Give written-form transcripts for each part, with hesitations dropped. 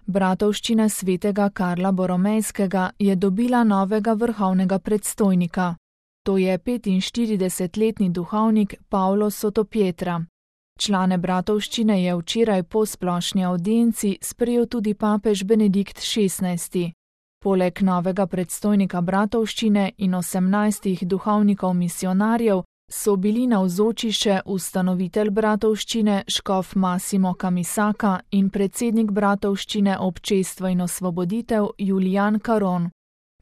Bratovščina svetega Karla Boromejskega je dobila novega vrhovnega predstojnika. To je 45-letni duhovnik Pavlo Sotopietra. Člane bratovščine je včeraj po splošni avdienci sprejel tudi papež Benedikt XVI. Poleg novega predstojnika bratovščine in 18 duhovnikov misionarjev so bili navzoči še ustanovitelj bratovščine škof Massimo Camisaka in predsednik bratovščine Občestvo in osvoboditev Julian Caron.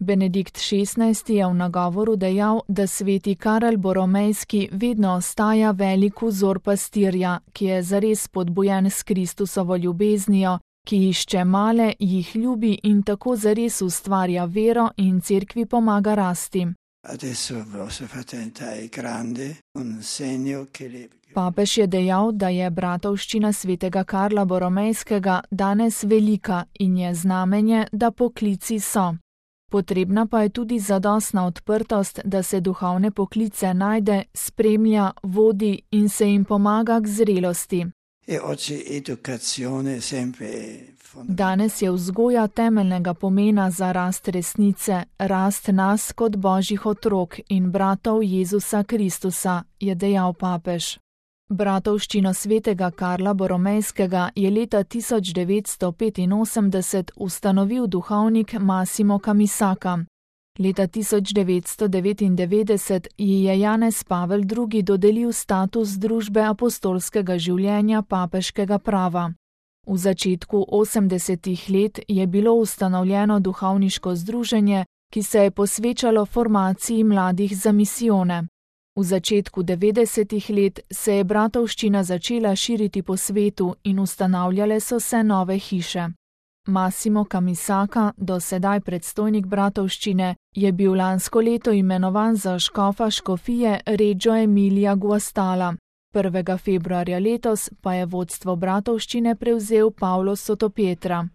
Benedikt XVI. Je v nagovoru dejal, da sveti Karel Boromejski vedno ostaja velik vzor pastirja, ki je zares spodbujen s Kristusovo ljubeznijo, ki išče male, jih ljubi in tako zares ustvarja vero in cerkvi pomaga rasti. Papež je dejal, da je bratovščina svetega Karla Boromejskega danes velika in je znamenje, da poklici so. Potrebna pa je tudi zadostna odprtost, da se duhovne poklice najde, spremlja, vodi in se jim pomaga k zrelosti. Danes je vzgoja temeljnega pomena za rast resnice, rast nas kot božjih otrok in bratov Jezusa Kristusa, je dejal papež. Bratovščino svetega Karla Boromejskega je leta 1985 ustanovil duhovnik Massimo Camisaka. Leta 1999 ji je Janez Pavel II. Dodelil status družbe apostolskega življenja papeškega prava. V začetku 80. let je bilo ustanovljeno duhovniško združenje, ki se je posvečalo formaciji mladih za misijone. V začetku 90. let se je bratovščina začela širiti po svetu in ustanavljale so se nove hiše. Massimo Camisaka, do sedaj predstojnik bratovščine, je bil lansko leto imenovan za škofa škofije Reggio Emilia Guastalla. 1. februarja letos pa je vodstvo bratovščine prevzel Pavlo Sotopietra.